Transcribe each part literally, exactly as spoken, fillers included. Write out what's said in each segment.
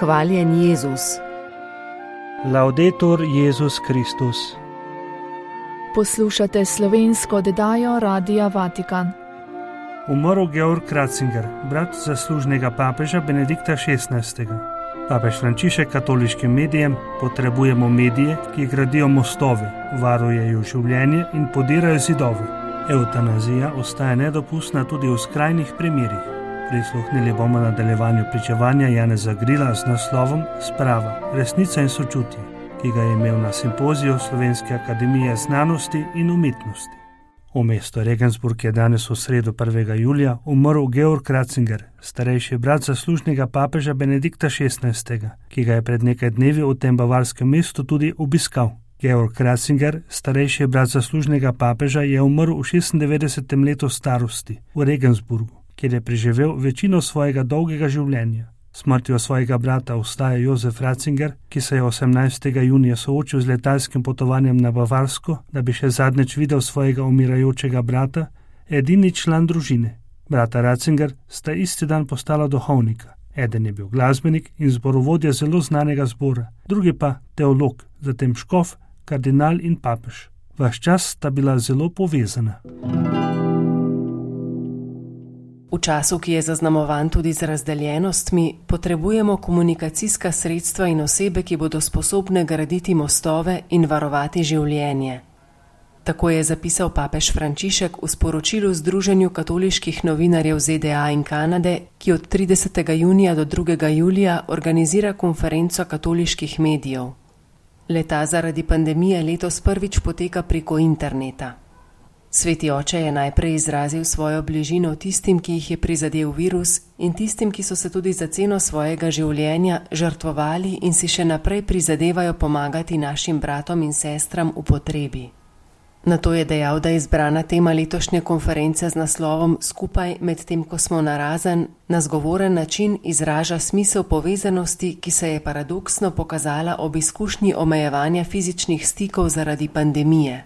Hvaljen Jezus. Laudetur Jezus Kristus. Poslušate slovensko oddajo Radia Vatikan. Umrl Georg Ratzinger, brat zaslužnega papeža Benedikta šestnajstega. Papež Frančišek katoliškim medijem: potrebujemo medije, ki gradijo mostove, varujejo življenje in podirajo zidove. Evtanazija ostaja nedopustna tudi v skrajnih primerih. Prisluhnili bomo nadaljevanju pričevanja Janeza Grila z naslovom Sprava, resnica in sočutje, ki ga je imel na simpoziju Slovenske akademije znanosti in umetnosti. V mestu Regensburg je danes v sredo prvega julija umrl Georg Ratzinger, starejši brat zaslužnega papeža Benedikta šestnajstega, ki ga je pred nekaj dnevi v tem bavarskem mestu tudi obiskal. Georg Ratzinger, starejši brat zaslužnega papeža, je umrl v šestindevetdesetem letu starosti v Regensburgu, kjer je preživel večino svojega dolgega življenja. Smrtjo svojega brata ostaja Jozef Ratzinger, ki se je osemnajstega junija soočil z letalskim potovanjem na Bavarsko, da bi še zadnjič videl svojega umirajočega brata, edini član družine. Brata Ratzinger sta isti dan postala duhovnika. Eden je bil glasbenik in zborovodja zelo znanega zbora, drugi pa teolog, zatem škof, kardinal in papež. Vaš čas sta bila zelo povezana. V času, ki je zaznamovan tudi z razdeljenostmi, potrebujemo komunikacijska sredstva in osebe, ki bodo sposobne graditi mostove in varovati življenje. Tako je zapisal papež Frančišek v sporočilu Združenju katoliških novinarjev Z D A in Kanade, ki od tridesetega junija do drugega julija organizira konferenco katoliških medijev. Le-ta zaradi pandemije letos prvič poteka preko interneta. Sveti oče je najprej izrazil svojo bližino tistim, ki jih je prizadel virus, in tistim, ki so se tudi za ceno svojega življenja žrtvovali in si še naprej prizadevajo pomagati našim bratom in sestram v potrebi. Nato je dejal, da je izbrana tema letošnje konference z naslovom Skupaj med tem, ko smo narazen, na zgovoren način izraža smisel povezanosti, ki se je paradoksno pokazala ob izkušnji omejevanja fizičnih stikov zaradi pandemije.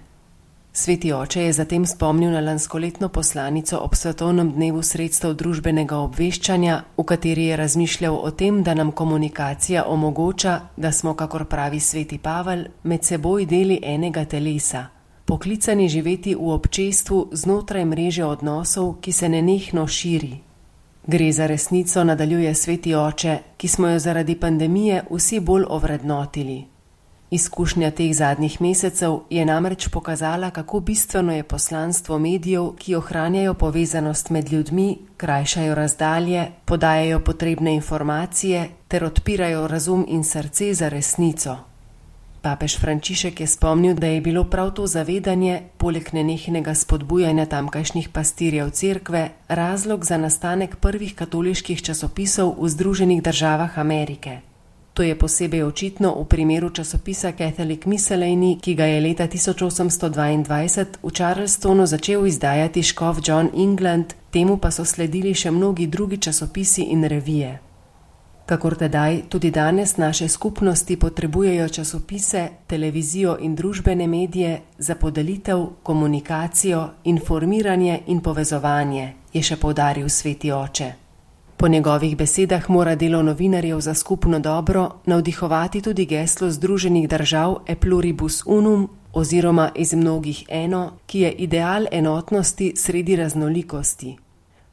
Sveti oče je zatem spomnil na lanskoletno poslanico ob svetovnem dnevu sredstev družbenega obveščanja, v kateri je razmišljal o tem, da nam komunikacija omogoča, da smo, kakor pravi sveti Pavel, med seboj deli enega telesa, poklicani živeti v občestvu znotraj mreže odnosov, ki se nenehno širi. Gre za resnico, nadaljuje sveti oče, ki smo jo zaradi pandemije vsi bolj ovrednotili. Izkušnja teh zadnjih mesecev je namreč pokazala, kako bistveno je poslanstvo medijev, ki ohranjajo povezanost med ljudmi, krajšajo razdalje, podajajo potrebne informacije ter odpirajo razum in srce za resnico. Papež Frančišek je spomnil, da je bilo prav to zavedanje, poleg nenehnega spodbujanja tamkajšnjih pastirjev cerkve, razlog za nastanek prvih katoliških časopisov v Združenih državah Amerike. To je posebej očitno v primeru časopisa Catholic Miscellany, ki ga je leta tisoč osemsto dvaindvajset v Charlestonu začel izdajati škof John England, temu pa so sledili še mnogi drugi časopisi in revije. Kakor tedaj, tudi danes naše skupnosti potrebujejo časopise, televizijo in družbene medije za podelitev, komunikacijo, informiranje in povezovanje, je še poudaril sveti oče. Po njegovih besedah mora delo novinarjev za skupno dobro navdihovati tudi geslo Združenih držav E pluribus unum oziroma iz mnogih eno, ki je ideal enotnosti sredi raznolikosti.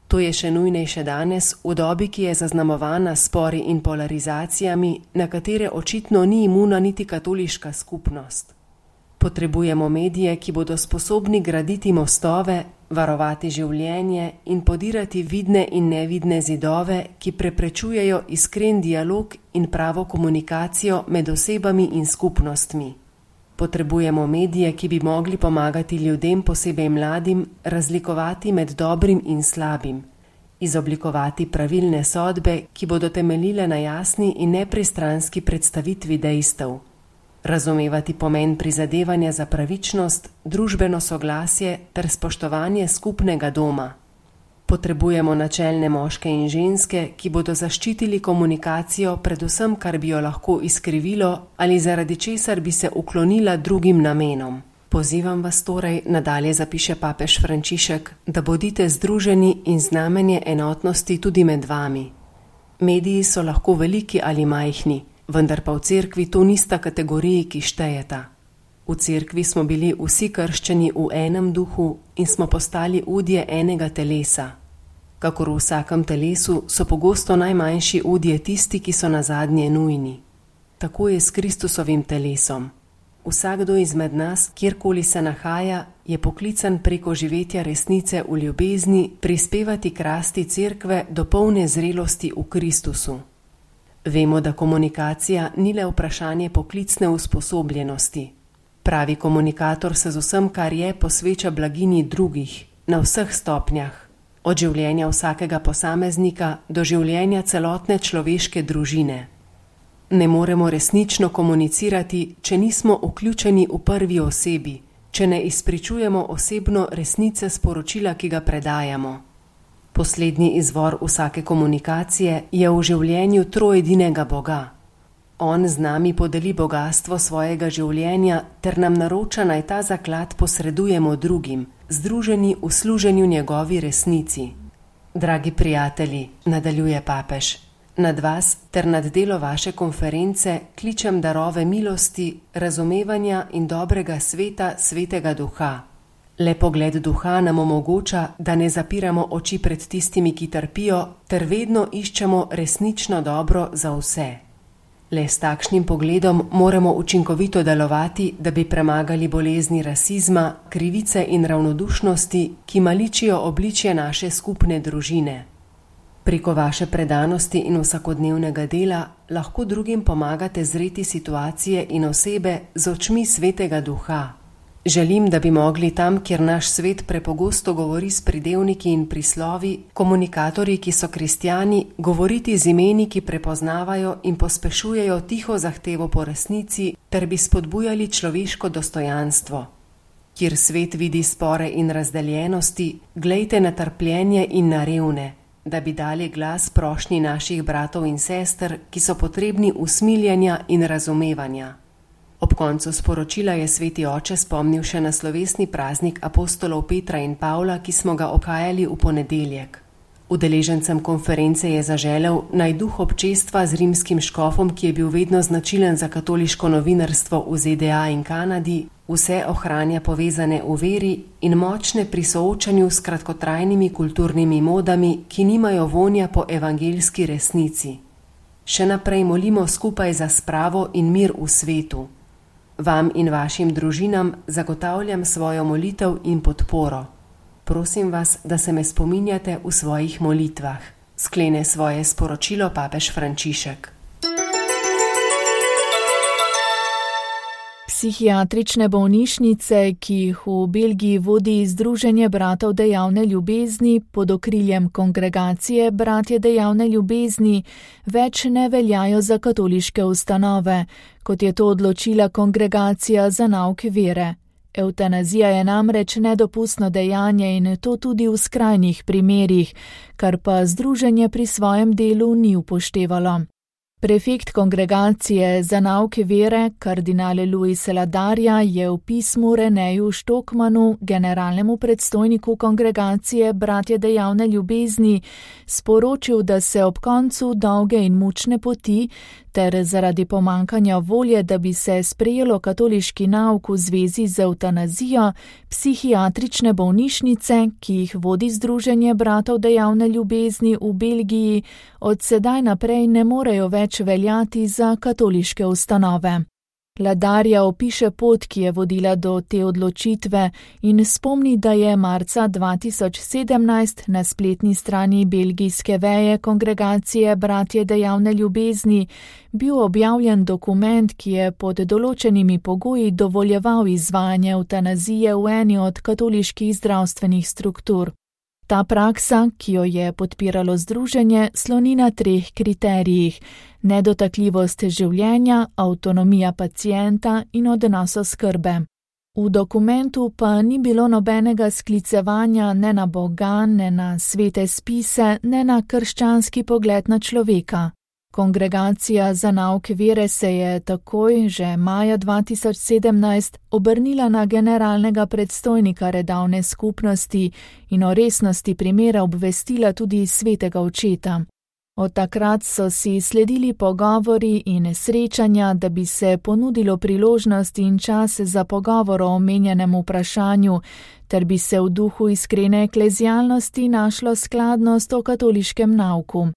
To je še nujnejše danes, v dobi, ki je zaznamovana s spori in polarizacijami, na katere očitno ni imuna niti katoliška skupnost. Potrebujemo medije, ki bodo sposobni graditi mostove, varovati življenje in podirati vidne in nevidne zidove, ki preprečujejo iskren dialog in pravo komunikacijo med osebami in skupnostmi. Potrebujemo medije, ki bi mogli pomagati ljudem, posebej mladim, razlikovati med dobrim in slabim, izoblikovati pravilne sodbe, ki bodo temeljile na jasni in nepristranski predstavitvi dejstev. Razumevati pomen prizadevanja za pravičnost, družbeno soglasje ter spoštovanje skupnega doma. Potrebujemo načelne moške in ženske, ki bodo zaščitili komunikacijo predvsem, kar bi jo lahko izkrivilo ali zaradi česar bi se uklonila drugim namenom. Pozivam vas torej, nadalje zapiše papež Frančišek, da bodite združeni in znamenje enotnosti tudi med vami. Mediji so lahko veliki ali majhni, vendar pa v cerkvi to nista kategoriji, ki štejeta. V cerkvi smo bili vsi krščeni v enem duhu in smo postali udje enega telesa. Kakor v vsakem telesu so pogosto najmanjši udje tisti, ki so nazadnje nujni. Tako je s Kristusovim telesom. Vsakdo izmed nas, kjerkoli se nahaja, je poklican preko živetja resnice v ljubezni prispevati k rasti cerkve do polne zrelosti v Kristusu. Vemo, da komunikacija ni le vprašanje poklicne usposobljenosti. Pravi komunikator se z vsem, kar je, posveča blaginji drugih, na vseh stopnjah, od življenja vsakega posameznika do življenja celotne človeške družine. Ne moremo resnično komunicirati, če nismo vključeni v prvi osebi, če ne izpričujemo osebno resnice sporočila, ki ga predajamo. Poslednji izvor vsake komunikacije je v življenju troedinega Boga. On z nami podeli bogastvo svojega življenja ter nam naroča, naj ta zaklad posredujemo drugim, združeni v služenju njegovi resnici. Dragi prijatelji, nadaljuje papež, nad vas ter nad delo vaše konference kličem darove milosti, razumevanja in dobrega sveta Svetega Duha. Le pogled Duha nam omogoča, da ne zapiramo oči pred tistimi, ki trpijo, ter vedno iščemo resnično dobro za vse. Le s takšnim pogledom moramo učinkovito delovati, da bi premagali bolezni rasizma, krivice in ravnodušnosti, ki maličijo obličje naše skupne družine. Preko vaše predanosti in vsakodnevnega dela lahko drugim pomagate zreti situacije in osebe z očmi Svetega Duha. Želim, da bi mogli tam, kjer naš svet prepogosto govori s pridevniki in prislovi, komunikatorji, ki so kristjani, govoriti z imeni, ki prepoznavajo in pospešujejo tiho zahtevo po resnici, ter bi spodbujali človeško dostojanstvo. Kjer svet vidi spore in razdeljenosti, glejte na trpljenje in na revne, da bi dali glas prošnji naših bratov in sester, ki so potrebni usmiljanja in razumevanja. Ob koncu sporočila je sveti oče spomnil še na slovesni praznik apostolov Petra in Pavla, ki smo ga okajali v ponedeljek. Udeležencem konference je zaželel, naj duh občestva z rimskim škofom, ki je bil vedno značilen za katoliško novinarstvo v Z D A in Kanadi, vse ohranja povezane v veri in močne pri soočanju s kratkotrajnimi kulturnimi modami, ki nimajo vonja po evangeljski resnici. Še naprej molimo skupaj za spravo in mir v svetu. Vam in vašim družinam zagotavljam svojo molitev in podporo. Prosim vas, da se me spominjate v svojih molitvah. Sklene svoje sporočilo papež Frančišek. Psihiatrične bolnišnice, ki jih v Belgiji vodi Združenje bratov dejavne ljubezni pod okriljem kongregacije Bratje dejavne ljubezni, več ne veljajo za katoliške ustanove, kot je to odločila Kongregacija za nauk vere. Evtanazija je namreč nedopustno dejanje in to tudi v skrajnih primerih, kar pa združenje pri svojem delu ni upoštevalo. Prefekt Kongregacije za nauk vere, kardinal Luis Ladarja, je v pismu Reneju Štokmanu, generalnemu predstojniku Kongregacije Bratje dejavne ljubezni, sporočil, da se ob koncu dolge in mučne poti ter zaradi pomankanja volje, da bi se sprejelo katoliški nauk v zvezi z evtanazijo, psihiatrične bolnišnice, ki jih vodi Združenje bratov dejavne ljubezni v Belgiji, od sedaj naprej ne morejo več veljati za katoliške ustanove. Ladarja opiše pot, ki je vodila do te odločitve in spomni, da je marca dva tisoč sedemnajst na spletni strani belgijske veje Kongregacije Bratje dejavne ljubezni bil objavljen dokument, ki je pod določenimi pogoji dovoljeval izvajanje evtanazije v eni od katoliških zdravstvenih struktur. Ta praksa, ki jo je podpiralo združenje, sloni na treh kriterijih: nedotakljivost življenja, avtonomija pacienta in odnos oskrbe. V dokumentu pa ni bilo nobenega sklicevanja ne na Boga, ne na svete spise, ne na krščanski pogled na človeka. Kongregacija za nauk vere se je takoj, že maja dva tisoč sedemnajst, obrnila na generalnega predstojnika redavne skupnosti in o resnosti primera obvestila tudi svetega očeta. Od takrat so si sledili pogovori in srečanja, da bi se ponudilo priložnost in čas za pogovor o omenjenem vprašanju, ter bi se v duhu iskrene eklezialnosti našlo skladnost o katoliškem nauku.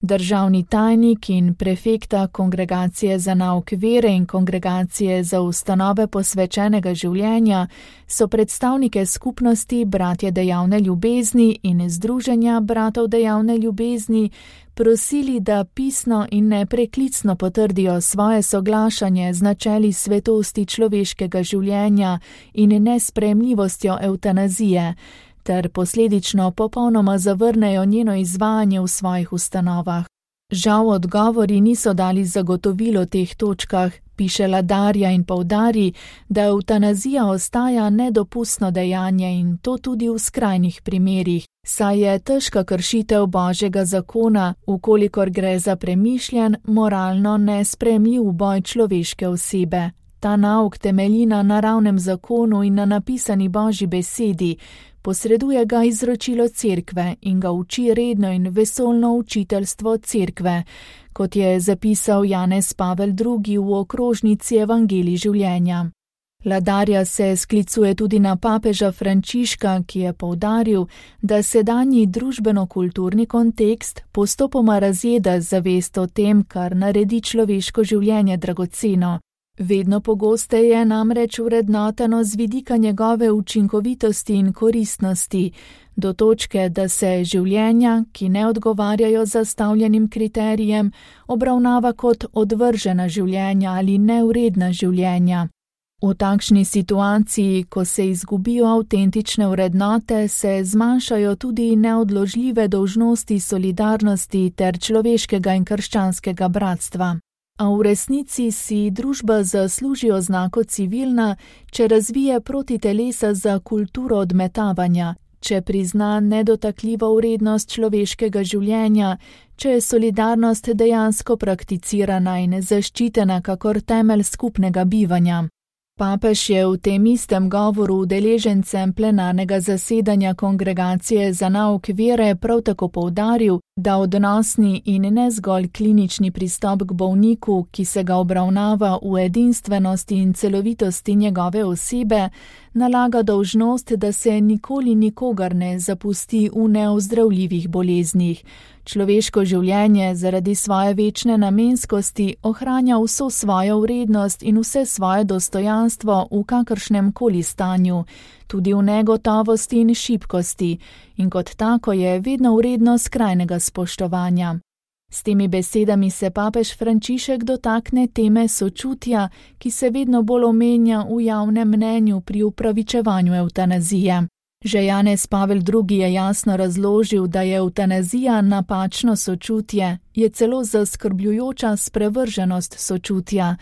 Državni tajnik in prefekta Kongregacije za nauk vere in Kongregacije za ustanove posvečenega življenja so predstavnike skupnosti Bratje dejavne ljubezni in Združenja bratov dejavne ljubezni prosili, da pisno in nepreklicno potrdijo svoje soglašanje z načeli svetosti človeškega življenja in nesprejemljivostjo evtanazije, ter posledično popolnoma zavrnejo njeno izvajanje v svojih ustanovah. Žal odgovori niso dali zagotovilo o teh točkah, piše Ladarja in poudari, da evtanazija ostaja nedopustno dejanje in to tudi v skrajnih primerih, saj je težka kršitev Božjega zakona, ukolikor gre za premišljen, moralno nesprejemljiv boj človeške osebe. Ta nauk temelji na naravnem zakonu in na napisani Božji besedi, posreduje ga izročilo cerkve in ga uči redno in vesoljno učiteljstvo cerkve, kot je zapisal Janez Pavel drugi v okrožnici Evangelij življenja. Ladarja se sklicuje tudi na papeža Frančiška, ki je poudaril, da sedanji družbeno-kulturni kontekst postopoma razjeda zavest o tem, kar naredi človeško življenje dragoceno. Vedno pogosteje je namreč vrednoteno z vidika njegove učinkovitosti in koristnosti, do točke, da se življenja, ki ne odgovarjajo zastavljenim kriterijem, obravnava kot odvržena življenja ali neuredna življenja. V takšni situaciji, ko se izgubijo avtentične vrednote, se zmanjšajo tudi neodložljive dolžnosti solidarnosti ter človeškega in krščanskega bratstva. A v resnici si družba zasluži oznako civilna, če razvije proti telesa za kulturo odmetavanja, če prizna nedotakljivo vrednost človeškega življenja, če je solidarnost dejansko prakticirana in zaščitena kakor temelj skupnega bivanja. Papež je v tem istem govoru udeležencem plenarnega zasedanja Kongregacije za nauk vere prav tako poudaril, da odnosni in ne zgolj klinični pristop k bolniku, ki se ga obravnava v edinstvenosti in celovitosti njegove osebe, nalaga dolžnost, da se nikoli nikogar ne zapusti v neozdravljivih boleznih. Človeško življenje zaradi svoje večne namenskosti ohranja vso svojo vrednost in vse svoje dostojanstvo v kakršnem koli stanju, tudi v negotovosti in šibkosti, in kot tako je vedno vredno skrajnega spoštovanja. S temi besedami se papež Frančišek dotakne teme sočutja, ki se vedno bolj omenja v javnem mnenju pri upravičevanju evtanazije. Že Janez Pavel drugi je jasno razložil, da je evtanazija napačno sočutje, je celo zaskrbljujoča sprevrženost sočutja.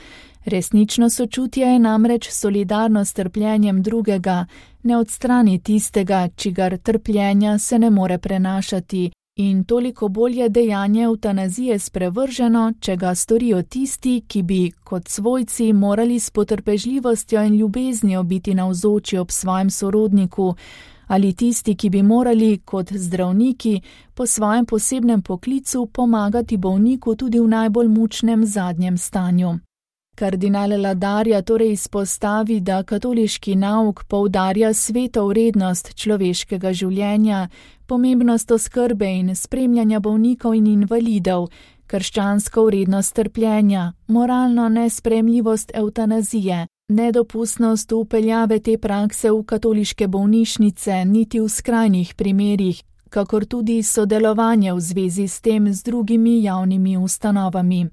Resnično sočutje je namreč solidarnost s trpljenjem drugega, ne odstrani tistega, čigar trpljenja se ne more prenašati, in toliko bolj je dejanje evtanazije sprevrženo, če ga storijo tisti, ki bi, kot svojci, morali s potrpežljivostjo in ljubeznijo biti navzoči ob svojem sorodniku, ali tisti, ki bi morali, kot zdravniki, po svojem posebnem poklicu pomagati bolniku tudi v najbolj mučnem zadnjem stanju. Kardinal Ladarja torej izpostavi, da katoliški nauk poudarja sveto vrednost človeškega življenja, pomembnost oskrbe in spremljanja bolnikov in invalidov, krščansko vrednost trpljenja, moralno nesprejemljivost evtanazije, nedopustnost vpeljave te prakse v katoliške bolnišnice niti v skrajnih primerih, kakor tudi sodelovanje v zvezi s tem z drugimi javnimi ustanovami.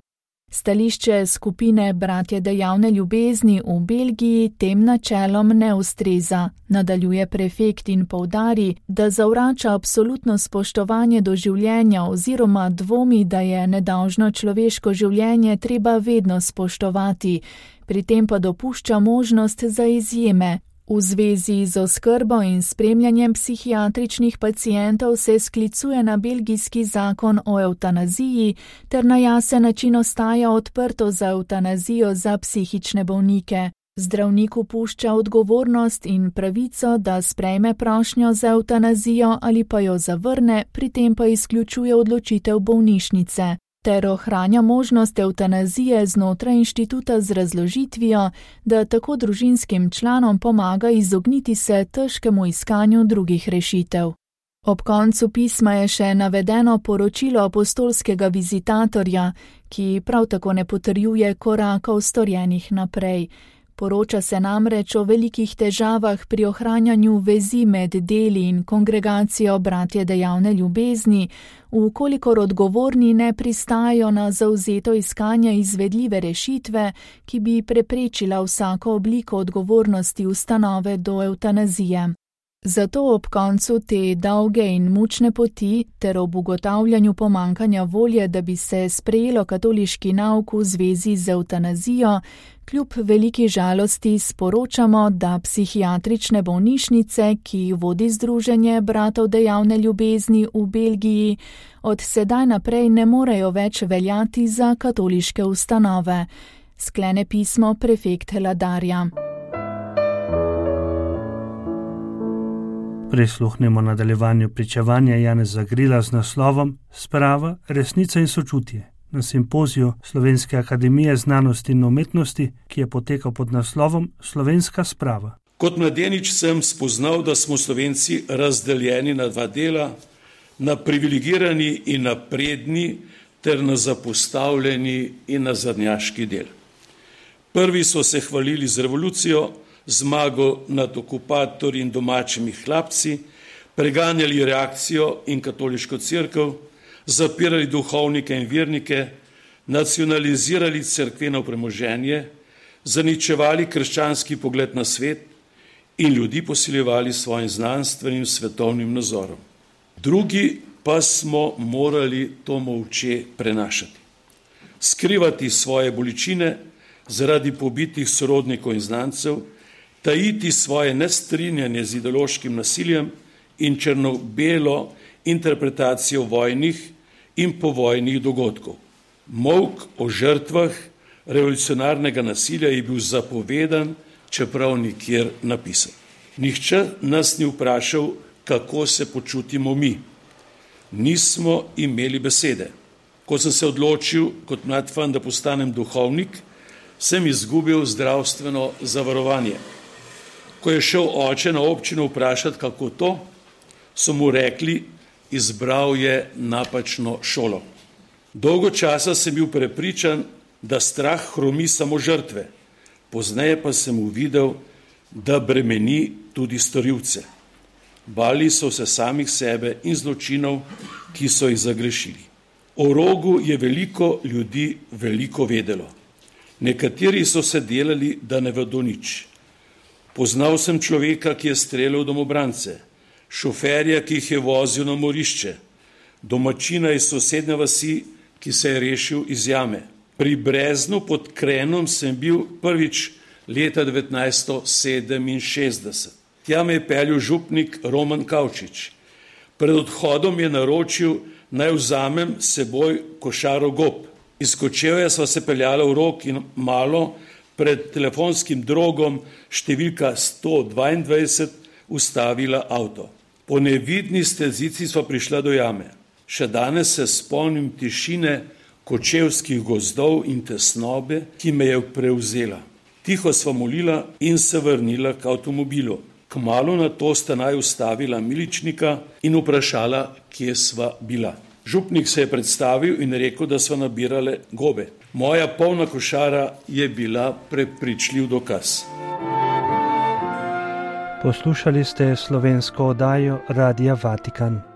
Stališče skupine Bratje dejavne ljubezni v Belgiji tem načelom ne ustreza, nadaljuje prefekt in poudari, da zavrača absolutno spoštovanje do življenja oziroma dvomi, da je nedolžno človeško življenje treba vedno spoštovati, pri tem pa dopušča možnost za izjeme. V zvezi z oskrbo in spremljanjem psihiatričnih pacientov se sklicuje na belgijski zakon o evtanaziji ter na jasen način ostaja odprto za evtanazijo za psihične bolnike. Zdravniku pušča odgovornost in pravico, da sprejme prošnjo za evtanazijo ali pa jo zavrne, pri tem pa izključuje odločitev bolnišnice, ter ohranja možnost evtanazije znotraj inštituta z razložitvijo, da tako družinskim članom pomaga izogniti se težkemu iskanju drugih rešitev. Ob koncu pisma je še navedeno poročilo apostolskega vizitatorja, ki prav tako ne potrjuje korakov storjenih naprej. Poroča se namreč o velikih težavah pri ohranjanju vezi med deli in kongregacijo bratje dejavne ljubezni, vkolikor odgovorni ne pristajajo na zavzeto iskanje izvedljive rešitve, ki bi preprečila vsako obliko odgovornosti ustanove do evtanazije. Zato ob koncu te dolge in mučne poti ter ob ugotavljanju pomankanja volje, da bi se sprejelo katoliški nauk v zvezi z evtanazijo, kljub veliki žalosti sporočamo, da psihiatrične bolnišnice, ki vodi Združenje bratov dejavne ljubezni v Belgiji, od sedaj naprej ne morejo več veljati za katoliške ustanove. Sklene pismo prefekt Ladarja. Prisluhnemo nadaljevanju pričevanja Janeza Grila z naslovom Sprava, resnica in sočutje na simpoziju Slovenske akademije znanosti in umetnosti, ki je potekal pod naslovom Slovenska sprava. Kot mladenič sem spoznal, da smo Slovenci razdeljeni na dva dela, na privilegirani in napredni ter na zapostavljeni in nazadnjaški del. Prvi so se hvalili z revolucijo, zmago nad okupatorji in domačimi hlapci, preganjali reakcijo in katoliško cerkev, zapirali duhovnike in vernike, nacionalizirali cerkveno premoženje, zaničevali krščanski pogled na svet in ljudi posiljevali svojim znanstvenim svetovnim nazorom. Drugi pa smo morali to molče prenašati. Skrivati svoje bolečine zaradi pobitih sorodnikov in znancev, tajiti svoje nestrinjanje z ideološkim nasiljem in črno-belo interpretacijo vojnih in povojnih dogodkov. Molk o žrtvah revolucionarnega nasilja je bil zapovedan, čeprav nikjer napisan. Nihče nas ni vprašal, kako se počutimo mi. Nismo imeli besede. Ko sem se odločil kot mlad fan, da postanem duhovnik, sem izgubil zdravstveno zavarovanje. Ko je šel oče na občino vprašati, kako to, so mu rekli, izbral je napačno šolo. Dolgo časa sem bil prepričan, da strah hromi samo žrtve. Pozneje pa sem uvidel, da bremeni tudi storilce. Bali so se samih sebe in zločinov, ki so jih zagrešili. O rogu je veliko ljudi veliko vedelo. Nekateri so se delali, da ne vedo nič. Poznal sem človeka, ki je streljal domobrance, šoferja, ki jih je vozil na morišče, domačina iz sosednje vasi, ki se je rešil iz jame. Pri Breznu pod Krenom sem bil prvič leta devetnajststo sedeminšestdeset. Tja me je peljal župnik Roman Kavčič. Pred odhodom je naročil, naj vzamem seboj košaro gob. Iz Kočevja sva se peljala v Rog in malo pred telefonskim drogom številka sto dvaindvajset ustavila avto. Po nevidni stezici sva prišla do jame. Še danes se spomnim tišine kočevskih gozdov in tesnobe, ki me je prevzela. Tiho sva molila in se vrnila k avtomobilu. Kmalu na to sta naj ustavila miličnika in vprašala, kje sva bila. Župnik se je predstavil in rekel, da sva nabirale gobe. Moja polna košara je bila prepričljiv dokaz. Poslušali ste slovensko oddajo Radia Vatikan.